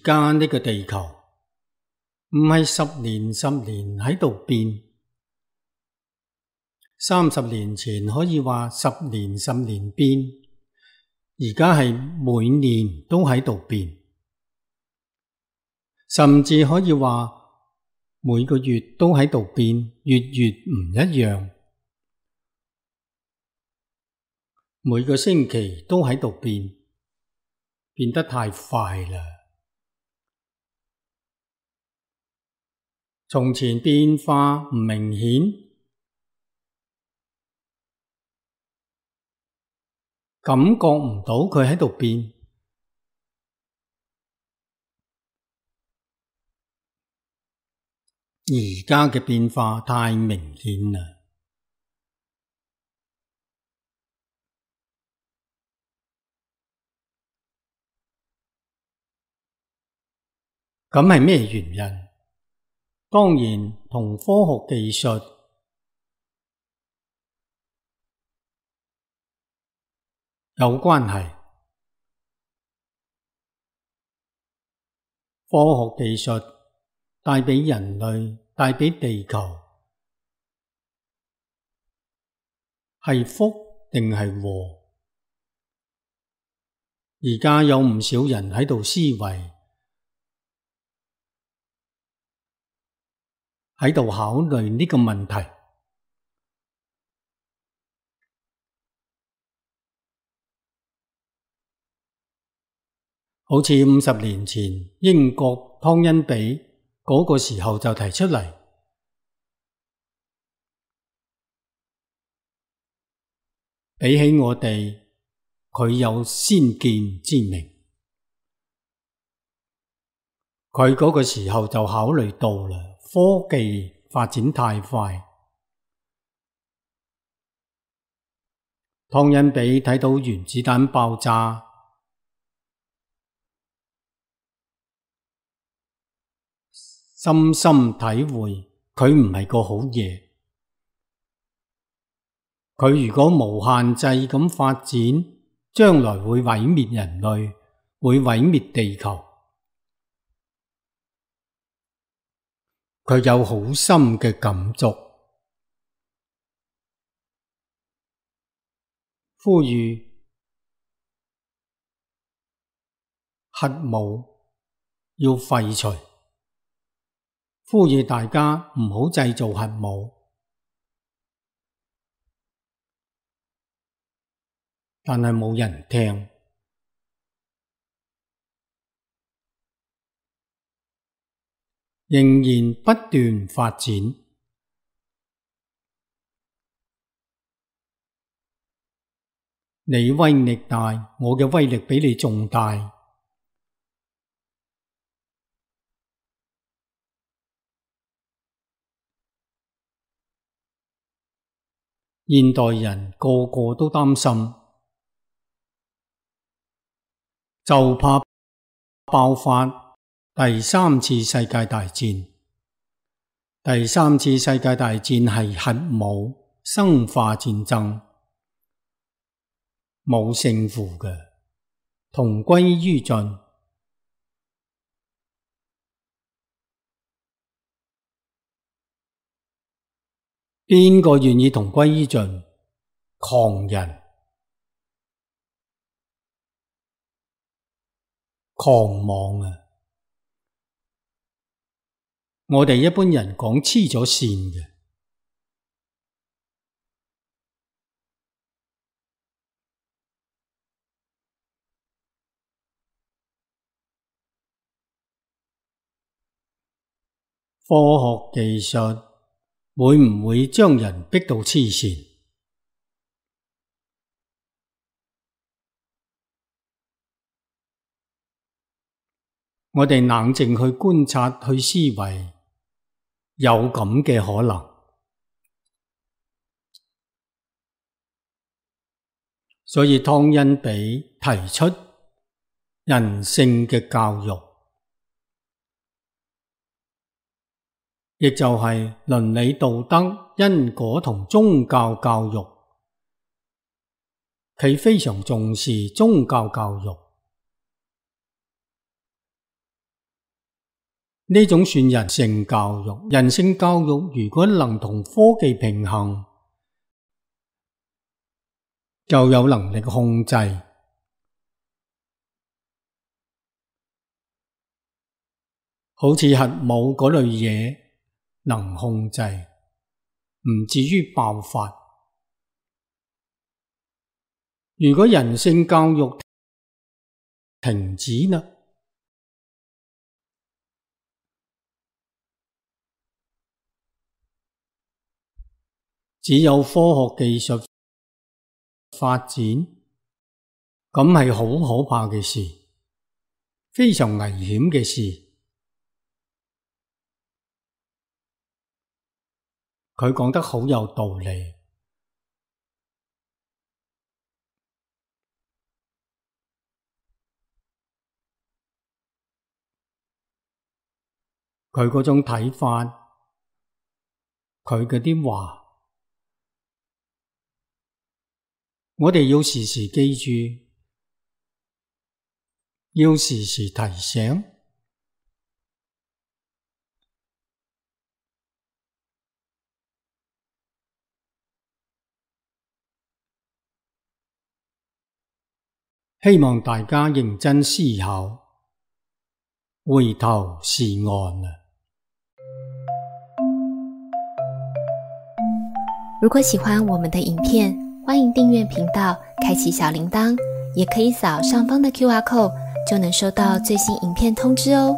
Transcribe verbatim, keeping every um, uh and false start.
家呢個地球唔係十年十年喺度變，三十年前可以話十年十年變，而家係每年都喺度變，甚至可以話每個月都喺度變，月月唔一樣，每個星期都喺度變，變得太快啦。從前變化唔明顯，感覺唔到佢喺度變，而家嘅變化太明顯啦。咁係咩原因？當然同科學技術有關係。科學技術帶畀人類，帶畀地球，係福定係禍？而家有唔少人喺度思維，喺度考慮呢個問題。好似五十年前英國湯恩比嗰個時候就提出嚟，比起我哋，佢有先見之明。佢嗰個時候就考慮到啦，科技發展太快。湯恩比睇到原子彈爆炸，深深體會佢唔係個好嘢。佢如果無限制咁發展，將來會毀滅人類，會毀滅地球。佢有好深嘅感觸，呼籲核武要廢除，呼籲大家唔好製造核武。但係冇人聽，仍然不斷發展。你威力大，我嘅威力比你仲大。現代人個個都擔心，就怕爆發第三次世界大戰。第三次世界大戰係核武、生化戰爭，冇勝負嘅，同歸於盡。邊個願意同歸於盡？狂人。狂妄啊！我哋一般人講黐咗線嘅。科學技術會唔會將人逼到黐線？我哋冷靜去觀察，去思維，有咁嘅可能。所以湯恩比提出人性嘅教育，亦就係倫理道德、因果同宗教教育。佢非常重視宗教教育。呢種算人性教育。人性教育如果能同科技平衡，就有能力控制。好似核武嗰類嘢能控制，唔至於爆發。如果人性教育停止啦，只有科學技術發展，咁係好可怕嘅事，非常危險嘅事。佢講得好有道理。佢嗰種睇法，佢嗰啲話，我哋要時時記住，要時時提醒。希望大家認真思考，回頭是岸啊！如果喜歡我們的影片，歡迎訂閱頻道，開啟小鈴鐺，也可以掃上方的 Q R code，就能收到最新影片通知哦。